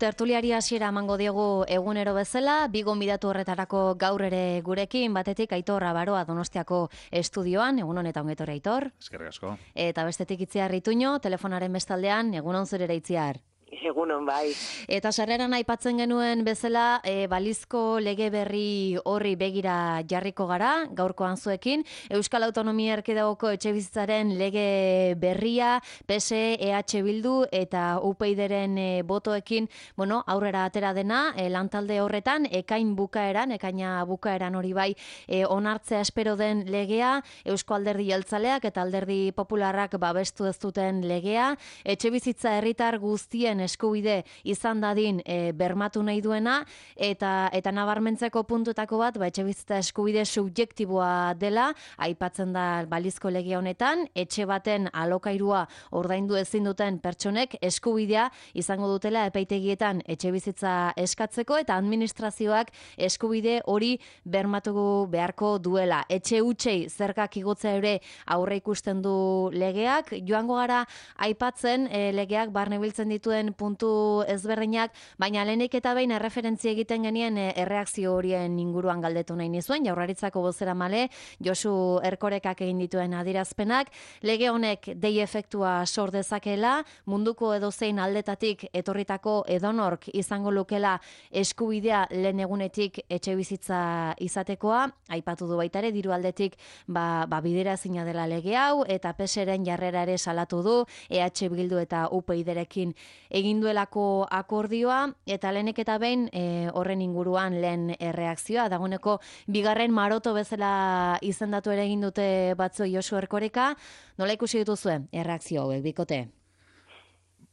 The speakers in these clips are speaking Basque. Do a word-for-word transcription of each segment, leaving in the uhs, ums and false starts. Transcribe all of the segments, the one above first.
Tertuliari hasiera emango diogu egunero bezala, bi gonbidatu horretarako gaur ere gurekin, batetik Aitor Abaroa Donostiako estudioan, egun honetan ongi etorri Aitor. Eskerrik asko. Eta bestetik Itziar Ituño, telefonaren bestaldean, egun on zure Itziar. Egunon bai. Eta sarreran aipatzen genuen bezala, e, balizko lege berri horri begira jarriko gara, gaurkoan zuekin. Euskal Autonomia Erkidegoko etxebizitzaren lege berria, P S E, E H Bildu eta U P Yren e, botoekin, bueno, aurrera atera dena, e, lantalde horretan, ekain bukaeran, ekaina bukaeran hori bai, e, onartzea espero den legea, Eusko Alderdi Jeltzaleak eta Alderdi Popularrak babestu ez duten legea, etxebizitza herritar guztien eskubide izan dadin e, bermatu nahi duena, eta eta nabarmentzeko puntutako bat, ba, etxebizitza eskubide subjektiboa dela, aipatzen da balizko lege honetan, etxe baten alokairua ordaindu ezin duten pertsonek eskubidea izango dutela epaitegietan etxebizitza eskatzeko, eta administrazioak eskubide hori bermatu beharko duela. Etxe hutsei zergak igotzea ere aurre ikusten du legeak, joango gara aipatzen e, legeak barne biltzen dituen puntu ezberdinak, baina lehenik eta behin erreferentzia egiten genien e, erreakzio horien inguruan galdetu nahi nizuen, Jaurlaritzako bozeramale Josu Erkorekak egin dituen adierazpenak, lege honek dei efektua sor dezakela, munduko edozein aldetatik etorritako edonork izango lukela eskubidea lehen egunetik etxe bizitza izatekoa, aipatu du baita ere diru aldetik ba, ba bidera ezina dela lege hau, eta P S Eren jarrera ere salatu du, E H Bildu eta U P Yrekin egin duelako akordioa, eta lehenik eta behin e, horren inguruan lehen erreakzioa, dagoeneko bigarren maroto bezala izendatu ere egin dute batzu Josu Erkoreka, nola ikusi dituzue erreakzio hauek, bikote?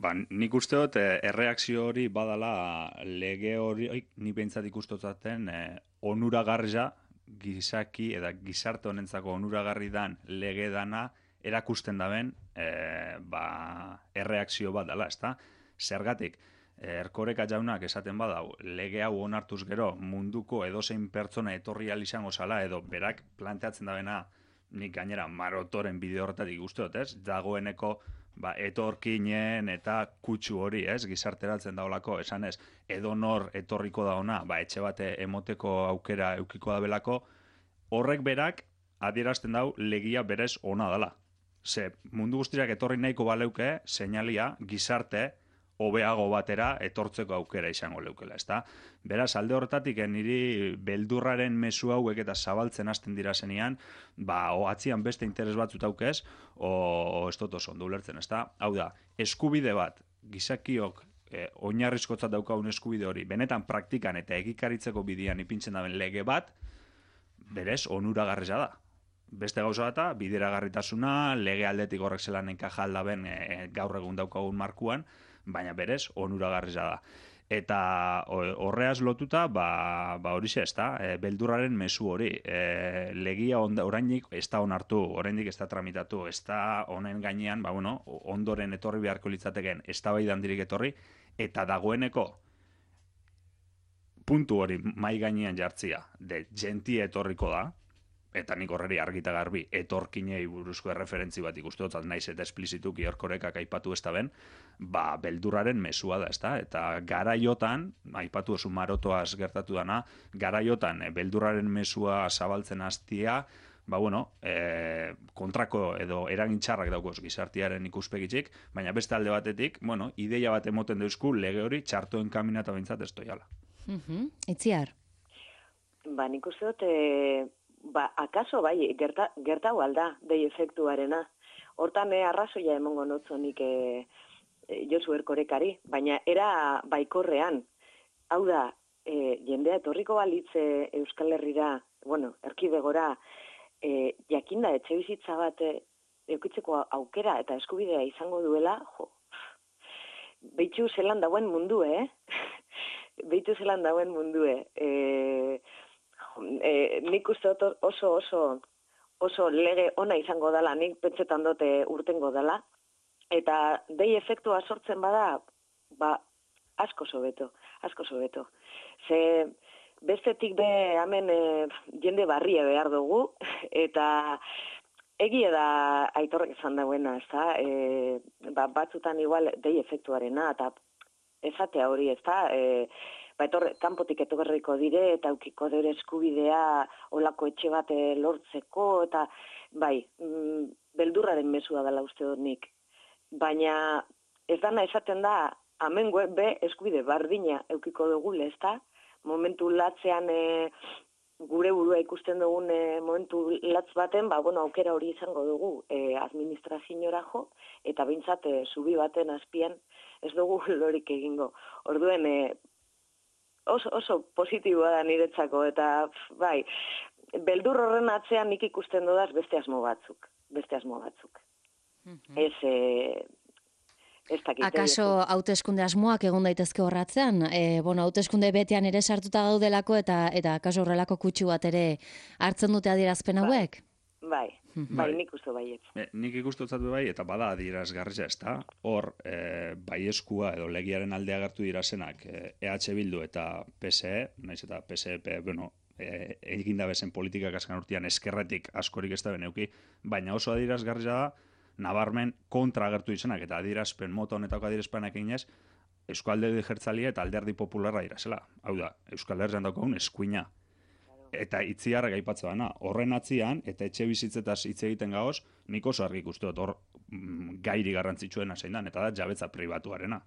Ba, nik uste dut eh, erreakzio hori badala lege hori, oi, ni behintzat ikustotzaten eh, onuragarria gizaki eta gizarte honentzako onuragarri dan lege dana erakusten daben eh, ba, erreakzio bat dela, ezta? Zergatik, Erkoreka jaunak esaten badau, lege hau onartuz gero munduko edozein pertsona etorri ahal izango zala, edo berak planteatzen dabena, nik gainera marotoren bideo horretatik uste dut, ez? Dagoeneko ba, etorkinen eta kutsu hori, ez? Gizarteratzen daolako, esan ez, edonor etorriko da ona, ba, etxe bate emoteko aukera eukiko da belako, horrek berak adierazten dau legia berez ona dela. Ze, mundu guztiak etorri nahiko baleuke, seinalia, gizarte, hobeago batera etortzeko aukera izango leukela, ezta? Beraz, alde horretatik niri beldurraren mezu hauek eta zabaltzen hasten dira zenean, ba, o atzian beste interes batzut aukez, o, o ez dut oso ondo ulertzen, ezta? Hau da, eskubide bat, gizakiok eh, oinarrizkotzat daukagun eskubide hori, benetan praktikan eta egikaritzeko bidean ipintzen daben lege bat, berez, onuragarria da. Beste gauza eta bideragarritasuna, lege aldetik horrek zelan enkaja aldaben e, gaur egun daukagun markuan, baina berez onuragarria da. Eta horreaz lotuta, ba, ba hori ze, ezta, e, beldurraren mezu hori. E, legia onda, orainik ez da onartu, oraindik ez da tramitatu, ez da honen gainean, ba, bueno, ondoren etorri beharko litzateken, ez da bai dandirik etorri, eta dagoeneko puntu hori mai gainean jartzia, de gentia etorriko da, eta nik horreri argita garbi etorkinei buruzko erreferentzi bat ikusteotzat naiz eta esplizituki Erkorekak aipatu ez da ben, ba, beldurraren mesua da, ezta? Eta garaiotan, aipatu oso marotoaz gertatu dana, garaiotan e, beldurraren mesua zabaltzen hastia, ba, bueno, e, kontrako edo eragintxarrak daukoz gizartiaren ikuspegitik, baina beste alde batetik, bueno, ideia bat emoten deuzku lege hori txartoen kaminata bintzat ez doiala. Uh-huh. Itziar? Ba, nik uste dut, e... Ba, akaso bai, gerta, gertau alda, dei efektuarena. Hortan eh, arrazoia emongo notzonik eh, Josu Erkorekari, baina era baikorrean. Hau da, eh, jendea etorriko balitze Euskal Herrira, bueno, erkidegora, eh, jakinda etxe bizitza bat eh, eukitzeko aukera eta eskubidea izango duela, jo, behitu zelan dauen mundu, eh? behitu zelan dauen mundu, eh? E, nik uste oso oso oso lege ona izango dela, nik pentsetan dute urtengo dela, eta dei efektua sortzen bada, ba, asko sobeto, asko sobeto. Ze bestetik be hemen e, jende barria behar dugu, eta egia da Aitorrek esan dauena, ezta? E, ba, batzutan igual dei efektuarena, eta esatea hori, ez da, e, ba, etorre, kanpotik etorriko dire, eta aukiko dure eskubidea olako etxe bat lortzeko, eta bai, mm, beldurraren mesua dela uste dut nik. Baina ez dana esaten da, amengo be eskubide bardina eukiko dugule, ez da? Momentu latzean e, gure burua ikusten dugun e, momentu latz baten, ba, bueno, aukera hori izango dugu e, administraziora jo, eta bintzat e, zubi baten azpian ez dugu lorik egingo. Orduen, e, oso, oso positiboa da niretzako, eta bai, beldur horren atzean nik ikusten dudaz beste asmo batzuk, beste asmo batzuk. Mm-hmm. Ez... E, Akaso hauteskunde asmoak egon daitezke horratzean, e, bueno, hauteskunde betean ere sartuta gaudelako eta eta akaso horrelako kutsu bat ere hartzen dute adierazpen hauek? Bai, bai, bai nik uste baiet. E, nik ikustotzat bai, eta bada adierazgarria, ez da, hor e, baieskua edo legiaren alde agertu dirazenak e, E H Bildu eta P S E, naiz eta P S E, bueno, e, egin da bezen politikak azkan urtean eskerretik askorik ez da beneuki, baina oso adierazgarria da, nabarmen kontra agertu izenak, eta adierazpen mota honetako adierazpenak eginez, Euskal Alderdi Jeltzalia eta Alderdi Popularra irazela. Hau da, Euskal Herrian daukagun eskuina. Eta itziarra gaipatzea bana, horren atzian, eta etxe bizitzetaz hitz egiten gaoz, nik oso argi ikustu dut hor mm, gairi garrantzitsuena zein dan, eta da jabetza pribatuarena.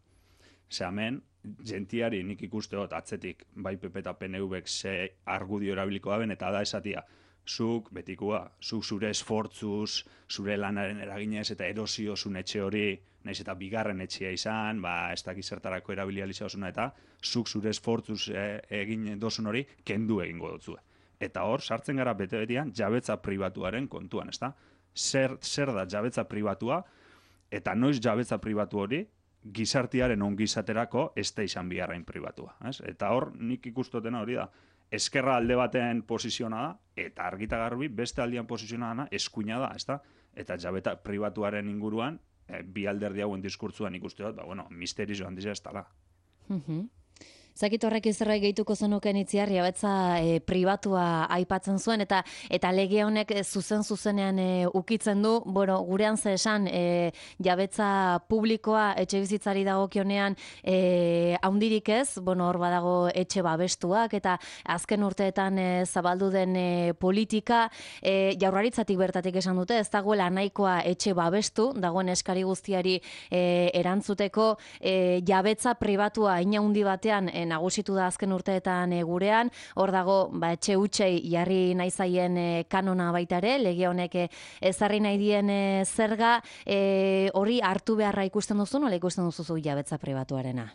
Ze hemen, gentiari nik ikuste dut atzetik, bai P P eta P N V-ek ze argudio erabiliko daben, eta da esatia, zuk, betikua, zuk zure esfortzuz, zure lanaren eraginez eta erosio zun etxe hori, naiz eta bigarren etxea izan, ba, ez dakiz zertarako erabilializa osuna, eta zuk zure esfortzuz e, egin dozun hori, kendu egingo dutzue. Eta hor, sartzen gara bete-betian, jabetza pribatuaren kontuan, ez da? Zer, zer da jabetza pribatua, eta noiz jabetza pribatu hori, gizartiaren ongizaterako ez da izan biharrain pribatua. Ez? Eta hor, nik ikustotena hori da, eskerra alde batean posiziona da, eta argita garbi beste aldean posiziona da, eskuina da, ezta? Eta jabeta pribatuaren inguruan, e, bi alderdi hauen diskurtzuan ikuste dut, ba, bueno, misterizo handia ez dela. Mhm. Zakit horrek zerbait gehituko zenuken Itziar, jabetza e, pribatua aipatzen zuen, eta eta lege honek zuzen zuzenean e, ukitzen du, bueno, gurean ze esan, e, jabetza publikoa etxe bizitzari dagokionean e, haundirik ez, bueno, hor badago etxe babestuak, eta azken urteetan e, zabaldu den e, politika, e, jaurlaritzatik bertatik esan dute, ez dagoela nahikoa etxe babestu, dagoen eskari guztiari e, erantzuteko, e, jabetza pribatua ina handi batean e, nagusitu da azken urteetan e, gurean, hor dago ba, etxe hutsei jarri nahi zaien e, kanona baita ere, lege honek e, ezarri nahi dien e, zerga, e, hori hartu beharra ikusten duzu, nola ikusten duzu jabetza pribatuarena?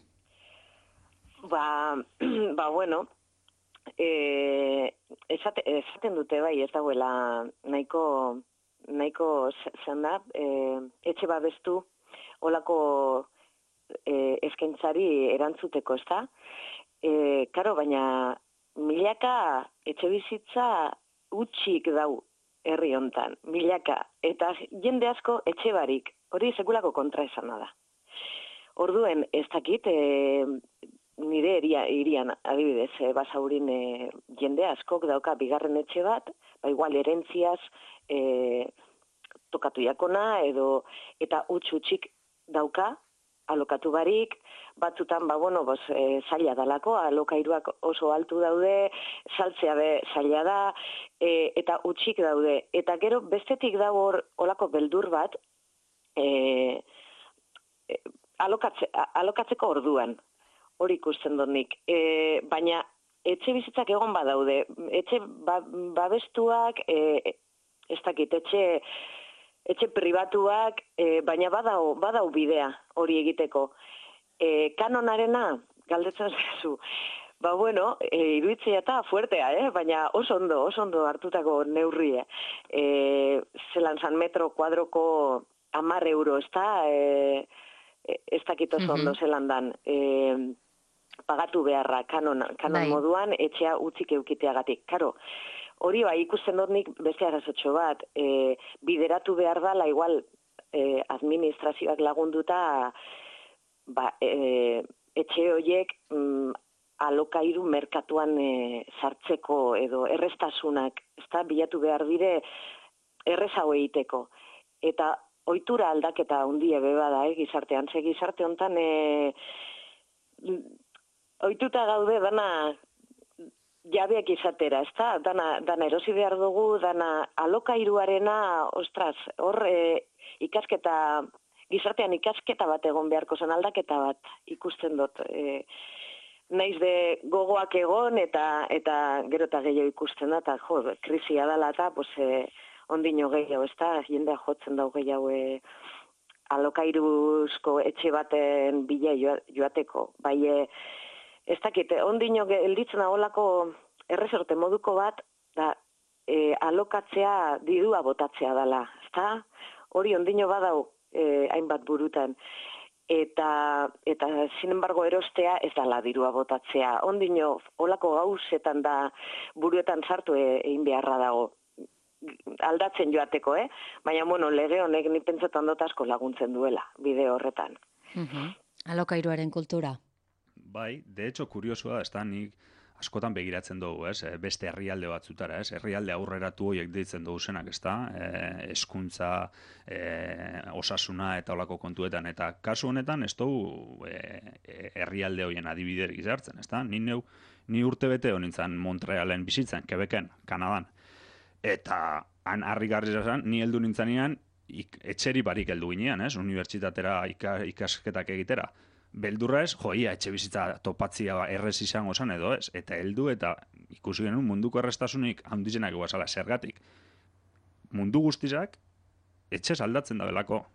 Ba, ba bueno, e, esate, esaten dute bai, ez dagoela nahiko, nahiko zen da, e, etxe babestu, olako E, eskaintzari erantzuteko, ez da? E, karo, baina milaka etxe bizitza utxik dau herri hontan, milaka, eta jende asko etxe barik, hori sekulako kontra esana da. Orduen, ez dakit, e, nire eria, irian, adibidez, e, basaurin e, jende askok dauka bigarren etxe bat, ba igual erentziaz e, tokatu jakona, edo, eta utx utxik dauka, alokatu barik, batzutan, ba, bueno, bos, e, zaila dalako, alokairuak oso altu daude, saltzea be zaila da, e, eta utxik daude. Eta gero, bestetik dago hor, olako beldur bat, e, e, alokatze, alokatzeko orduan, hori ikusten dut nik. E, baina, etxe bizitzak egon badaude, etxe ba, babestuak, e, ez dakit, etxe... etxe pribatuak, e, baina badau, badau bidea hori egiteko. E, kanonarena, galdetzen zu, ba bueno, e, iruditzea eta fuertea, eh? Baina oso ondo, oso ondo hartutako neurrie. E, zelan San metro kuadroko hamar euro, ez da, e, ez dakit oso ondo zelan dan. E, pagatu beharra kanon, kanon moduan, etxea utzik eukiteagatik. Karo, hori bai ikusten dut nik beste arazotxo bat, e, bideratu behar dala, igual e, administrazioak lagunduta, ba, e, etxe horiek mm, alokairu merkatuan e, sartzeko edo errestasunak, ezta bilatu behar dire errezau egiteko. Eta ohitura aldaketa handia beba da, eh, gizartean, ze gizarte hontan e, ohituta gaude dana jabeak izatera, ezta? Dana, dana erosi behar dugu, dana alokairuarena, ostras, hor e, ikasketa, gizartean ikasketa bat egon beharko zen, aldaketa bat ikusten dut. E, naiz de gogoak egon eta eta gero eta gehiago ikusten da, eta jo, krisia dela eta, pues, e, ondino gehiago, ezta? Jendea jotzen dau gehiago e, alokairuzko etxe baten bila joateko. Bai, e, ez dakit, ondino gelditzen agolako erresorte moduko bat, da, e, alokatzea dirua botatzea dela, ezta? Hori ondino badau e, hainbat burutan. Eta, eta, sin embargo, erostea ez dala dirua botatzea. Ondino, olako gauzetan da buruetan sartu e, egin beharra dago. Aldatzen joateko, eh? Baina, bueno, lege honek ni pentsetan dut asko laguntzen duela, bide horretan. Uh-huh. Alokairuaren kultura. Bai, de hecho, kuriosua da, ez da, nik askotan begiratzen dugu, ez, beste herrialde batzutara, ez, herrialde aurreratu horiek deitzen dugu zenak, ez da, e, eskuntza, e, osasuna eta olako kontuetan, eta kasu honetan ez dugu e, herrialde horien adibiderik izartzen, ez da, ni neu, ni urte bete honintzen Montrealen bizitzen, Quebecen, Kanadan, eta han harrigarri zen, ni heldu nintzanean, ik, etxeri barik heldu ginean, ez, unibertsitatera ika, ikasketak egitera, beldurra ez, joia, etxe bizitza topatzia errez izango zen edo ez, eta heldu eta ikusi genuen munduko errestasunik handizenak guazala, zergatik. Mundu guztizak, etxez aldatzen da belako.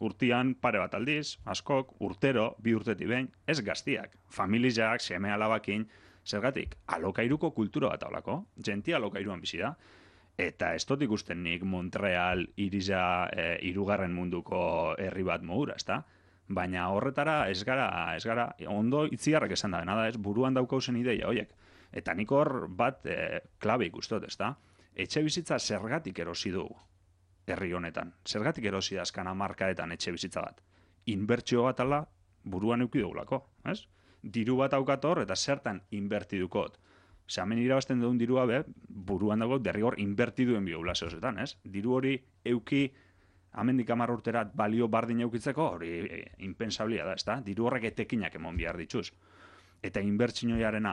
Urtian pare bat aldiz, askok, urtero, bi urteti behin, ez gaztiak, familizak, seme alabakin, zergatik, alokairuko kultura bat aulako, genti alokairuan bizi da, eta ez dut ikusten nik Montreal iriza e, irugarren munduko herri bat modura, ez da? Baina horretara ez gara, ez gara, ondo itziarrak esan da, nada ez, buruan daukauzen ideia, hoiek. Eta nik hor bat e, klabe ikustot, ez da? Etxe bizitza zergatik erosi du herri honetan. Zergatik erosi da azkan hamarkadetan etxe bizitza bat. Inbertsio bat ala buruan euki dugulako, ez? Diru bat aukat hor eta zertan inbertidukot. Ose, hemen irabazten duen dirua be, buruan dago derrigor inbertiduen biogula zehozetan, ez? Diru hori euki amendik hamar urterat balio bardin eukitzeko, hori e, impensablia da, ez da? Diru horrek etekinak emon behar dituz. Eta inbertsinioiarena,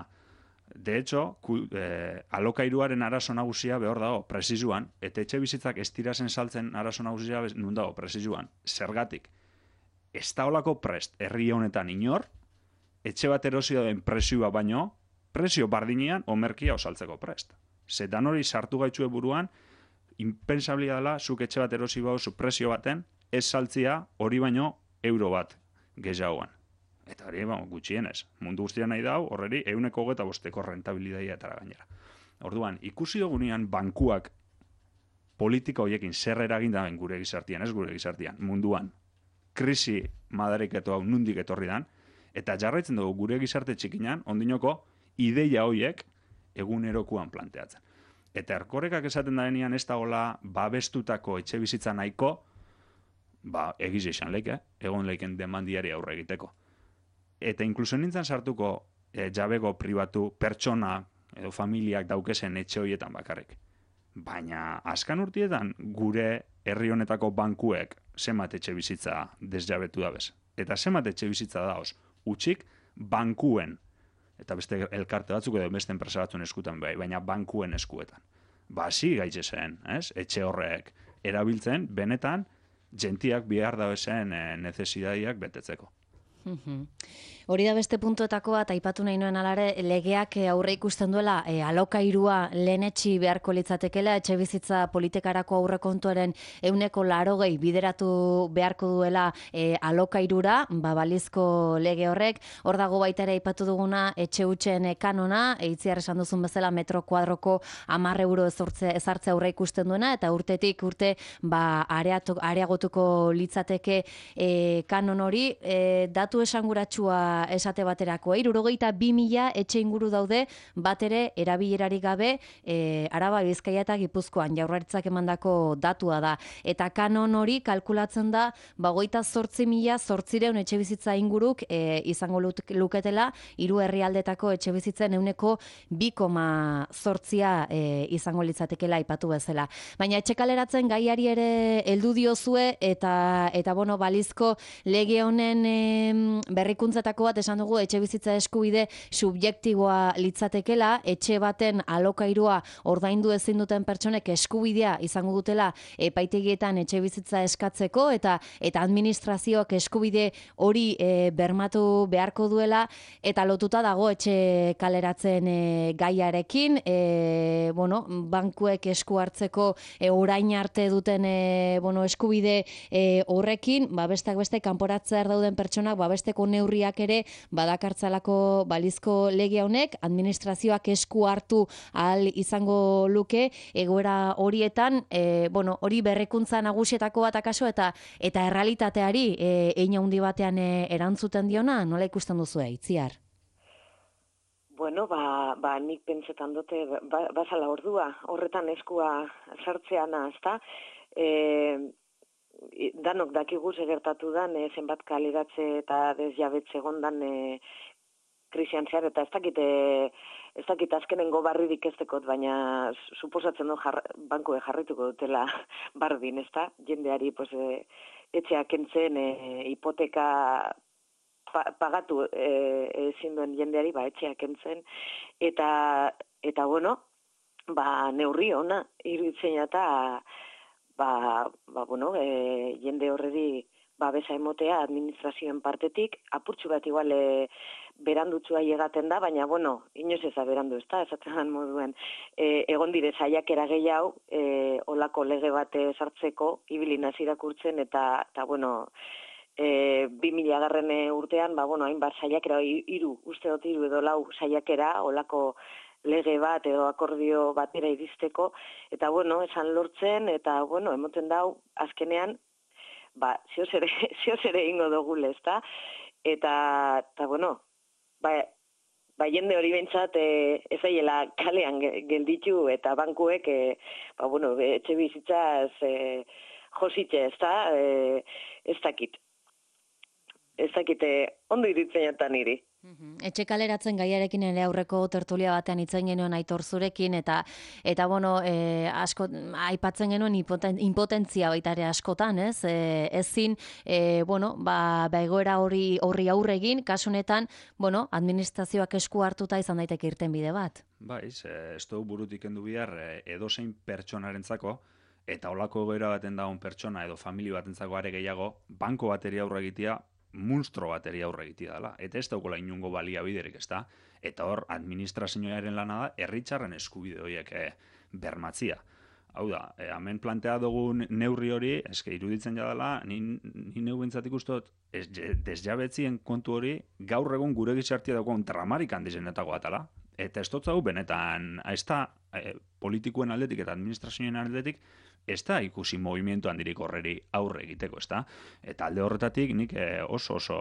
de hecho, ku, e, alokairuaren arazo nagusia behor dago, presizuan, eta etxe bizitzak ez tirazen saltzen arazo nagusia nun dago, presizuan. Zergatik, ez da olako prest, herri honetan inor, etxe bat erosi dauen presioa baino, presio bardinean omerkia osaltzeko prest. Zetan hori sartu gaitxue buruan, impensablia dela, zuk etxe bat erosi bau, zu presio baten, ez saltzia hori baino euro bat gehiagoan. Eta hori, ba, gutxienez, mundu guztia nahi dau, horreri, euneko geta bosteko rentabilidadia etara gainera. Orduan, ikusi dugunean bankuak politika horiekin zer eragin daben gure gizartian, ez gure gizartian, munduan, krisi madariketo hau nundik etorri dan, eta jarraitzen dugu gure gizarte txikinan, ondinoko, ideia horiek egunerokuan planteatzen. Eta erkorekak esaten daenean ez dagoela babestutako etxe bizitza nahiko, ba, egiz izan leike, egon leiken demandiari aurre egiteko. Eta inkluso nintzen sartuko e, jabego pribatu pertsona edo familiak daukesen etxe horietan bakarrik. Baina, azkan urtietan, gure herri honetako bankuek zenbat etxe bizitza desjabetu dabez. Eta zenbat etxe bizitza daoz, utxik bankuen, eta beste elkarte batzuk edo beste enpresa batzuen eskutan bai, baina bankuen eskuetan. Ba, hasi gaitze zen, ez? Etxe horrek erabiltzen, benetan, gentiak bihar dabezen e, nezesidadiak betetzeko. Hori da beste puntuetako bat, aipatu nahi nuen alare, legeak aurre ikusten duela e, alokairua lehenetxi beharko litzatekela, etxe bizitza politikarako aurrekontuaren euneko larogei bideratu beharko duela e, alokairura, ba, balizko lege horrek, hor dago baita ere aipatu duguna etxe hutsen kanona, eitziar esan duzun bezala metro kuadroko hamar euro ezartze aurre ikusten duena, eta urtetik urte ba, areatu, areagotuko litzateke e, kanon hori, e, datu esanguratsua esate baterako, hirurogeita bi mila etxe inguru daude bat ere erabilerarik gabe e, Araba, Bizkaia eta Gipuzkoan Jaurlaritzak emandako datua da. Eta kanon hori kalkulatzen da bagoita zortzi mila zortzireun etxe bizitza inguruk e, izango luketela hiru herrialdetako etxe bizitzen euneko bi koma zortzia e, izango litzatekela aipatu bezala. Baina etxe kaleratzen gaiari ere heldu diozue eta eta bueno, balizko lege honen e, berrikuntzatako bat esan dugu etxe bizitza eskubide subjektiboa litzatekela, etxe baten alokairua ordaindu ezin duten pertsonek eskubidea izango dutela epaitegietan etxe bizitza eskatzeko eta eta administrazioak eskubide hori e, bermatu beharko duela eta lotuta dago etxe kaleratzen e, gaiarekin, e, bueno, bankuek esku hartzeko e, orain arte duten e, bueno, eskubide e, horrekin, ba, besteak beste kanporatzear dauden pertsonak babesteko neurriak ere badakartzalako balizko lege honek, administrazioak esku hartu ahal izango luke egoera horietan, e, bueno, hori berrikuntza nagusietako bat akaso eta eta errealitateari e, hein handi batean e, erantzuten diona, nola ikusten duzu Itziar? Bueno, ba, ba nik pentsetan dute ba, bazala ordua, horretan eskua sartzeana, ezta? Eh, danok dakigu gertatu dan, e, zenbat kaleratze eta desjabetze egondan e, krisian zehar, eta ez dakit, e, ez dakit azkenengo barririk ez dekot, baina suposatzen du jar, bankue jarrituko dutela bardin, ezta? Jendeari pues, e, etxeak kentzen, e, hipoteka pa, pagatu ezin e, duen jendeari, ba, etxeak kentzen, eta, eta bueno, ba, neurri ona, iruditzen eta Ba, ba, bueno, e, jende horreri babesa emotea administrazioen partetik, apurtxu bat igual e, berandutzua llegaten da, baina, bueno, inoz ez da berandu, ez da, esaten moduen, e, egon dire saiakera gehiago, e, olako lege bate sartzeko, ibili nazi irakurtzen, eta, eta bueno, e, bi mila garren urtean, ba, bueno, hainbat saiakera, hiru, uste dut hiru edo lau saiakera, olako lege bat edo akordio batera iristeko, eta bueno, esan lortzen, eta bueno, emoten dau, azkenean, ba, zioz ere, zioz ere ingo dugule, ezta? Eta, eta bueno, ba, ba jende hori behintzat, e, ez aiela kalean gelditu, eta bankuek, e, ba, bueno, etxe bizitzaz e, jositxe, ezta? E, ez dakit. Ez dakite, ondo iritzen jatan niri. Etxe kaleratzen gaiarekin ere aurreko tertulia batean itzen genuen Aitor zurekin, eta, eta bueno, e, asko, aipatzen genuen impoten, impotentzia baita ere askotan, ez? E, ezin, e, bueno, ba, ba egoera hori horri aurregin, kasunetan, bueno, administrazioak esku hartuta izan daiteke irten bide bat. Bai, ez dugu burutik endu bihar edozein pertsonarentzako, eta olako egoera baten dagoen pertsona edo familia batentzako are gehiago, banko bateri aurre egitea, munstro bateri aurre egitea dela. Eta ez daukala inungo baliabiderik, ez da? Eta hor, administrazioaren lana da, herritarren eskubide horiek eh, bermatzia. Hau da, eh, hemen plantea dugun neurri hori, eske iruditzen jadala, ni, ni neu bentzatik ustot, ez, desjabetzien kontu hori, gaur egun gure gizartia dagoen dramarik handizenetako atala. Eta ez dut benetan, ez da eh, politikoen aldetik eta administrazioen aldetik, ez da ikusi movimiento handirik horreri aurre egiteko, ez da? Eta alde horretatik nik eh, oso oso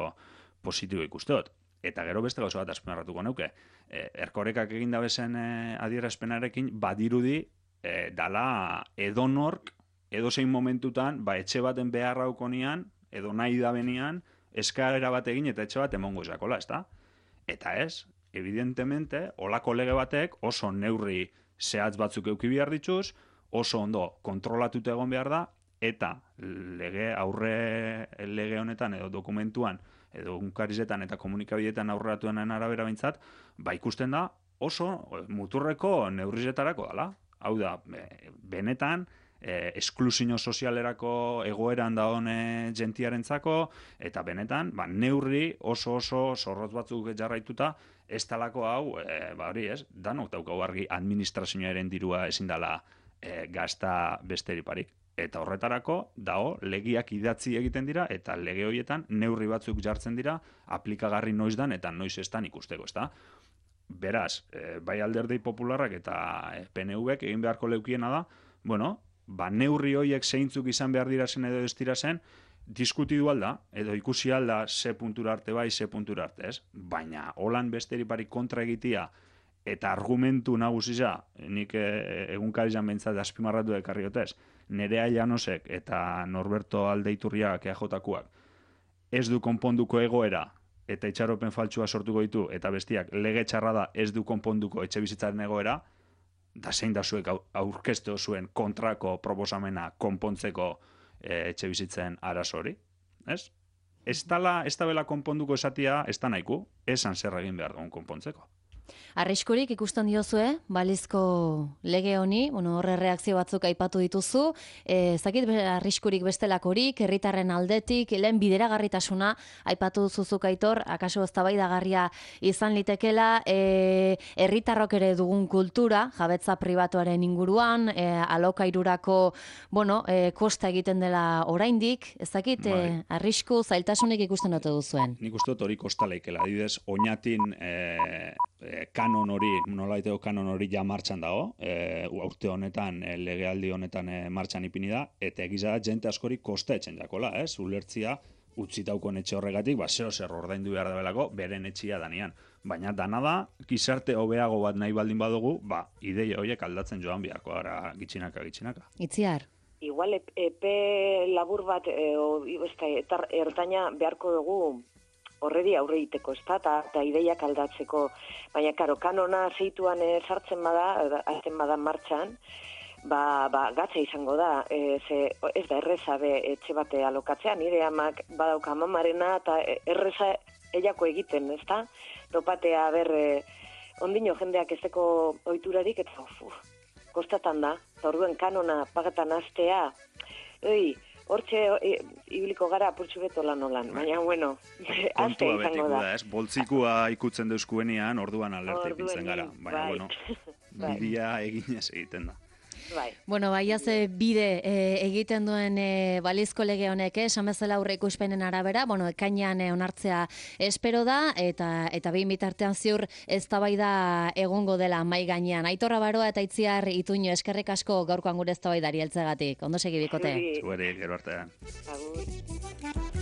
positibo ikusteot. Eta gero beste gauza bat azpimarratuko neuke. Eh, Erkorekak egin dabezen eh, adierazpenarekin badirudi eh, dala edonork edozein momentutan ba, etxe baten beharra ukonian, edo nahi da benian, eskaera bat egin eta etxe bat emongo esakola, ez da? Eta ez, evidentemente, olako lege batek oso neurri zehatz batzuk euki behar dituz, oso ondo kontrolatuta egon behar da, eta lege aurre lege honetan edo dokumentuan, edo unkarizetan eta komunikabideetan aurreratuenen arabera bintzat, ba ikusten da oso muturreko neurrizetarako dela. Hau da, benetan, eh, esklusio sozialerako egoeran da hone jentiarentzako, eta benetan, ba, neurri oso oso zorrotz batzuk jarraituta, ez talako hau, eh, ba hori ez, danok daukau argi administrazioaren dirua ezin dela E, gazta besteriparik. Eta horretarako, dao, legiak idatzi egiten dira, eta lege horietan neurri batzuk jartzen dira, aplikagarri noiz dan eta noiz estan ikusteko, ezta? Beraz, e, bai Alderdi Popularrak eta e, P N Vek egin beharko leukiena da, bueno, ba neurri horiek zeintzuk izan behar dira zen edo ez dira zen, diskutidu alda, edo ikusi alda ze puntura arte bai, ze puntura arte, ez? Baina, holan besteriparik kontra egitea, eta argumentu nagusisa, nik egunkarian behintzat azpimarratu ekarri gotez, Nerea Llanosek eta Norberto Aldeiturriak E J Kuak ez du konponduko egoera eta itxaropen faltsua sortuko ditu, eta bestiak lege txarra da ez du konponduko etxe bizitzaren egoera, da zein da zuek aurkeztu zuen kontrako proposamena konpontzeko e, etxe bizitzen arazo hori, ez? ez dala, ez da bela konponduko esatia, ez da nahiko, esan zer egin behar dugun konpontzeko. Arriskurik ikusten diozue, balizko lege honi, bueno, horre reakzio batzuk aipatu dituzu, e, zakit arriskurik bestelakorik, herritarren aldetik, lehen bideragarritasuna aipatu duzuzuk Aitor, akaso eztabaidagarria izan litekela, e, herritarrok ere dugun kultura, jabetza pribatuaren inguruan, e, alokairurako, bueno, e, kosta egiten dela oraindik, ez dakit, e, arrisku zailtasunik ikusten ote duzuen. Nik uste dut hori kosta leikela, adibidez, oinatin e, e, kanon hori, nolaiteko kanon hori ja martxan dago, e, urte honetan, e, legealdi honetan e, martxan ipini da, eta egiza da jente askori kosta etxen jakola, ez? Ulertzia, utzitauko etxe horregatik, ba, zeo zer ordaindu behar dabelako, beren etxia danian. Baina dana da, gizarte hobeago bat nahi baldin badugu, ba, ideia horiek aldatzen joan biharko gara gitxinaka, gitxinaka. Itziar? Igual epe labur bat, e, o, eta ertaina beharko dugu, horredi aurre egiteko, ez da, eta ideiak aldatzeko. Baina, karo, kanona zeituan e, sartzen bada, azten bada martxan, ba, ba, gatza izango da, e, ze, ez da, erreza be etxe bate alokatzea, nire amak badauka mamarena, eta erreza eiako egiten, ez da? Topatea, ber, e, ondino jendeak ezeko ohiturarik eta uf, kostatan da, eta orduen kanona pagatan astea, oi, hortxe ibiliko gara apurtxu beto lan olan, baina, bueno, azte izango da. Ez, boltzikua ikutzen deuskuenian, orduan alerta ipintzen gara. Baina, bueno, bidea eginez egiten da. Bai. Bueno, bai, ze bide e, egiten duen e, balizko lege honek, eh, esan bezala aurre ikuspenen arabera, bueno, ekainean e, onartzea espero da, eta eta behin bitartean ziur eztabaida egongo dela mai gainean. Aitor Abaroa eta Itziar Ituño, eskerrik asko gaurkoan gure eztabaidari heltzegatik. Ondo segi bikote. Zuere, gero artean. Agur.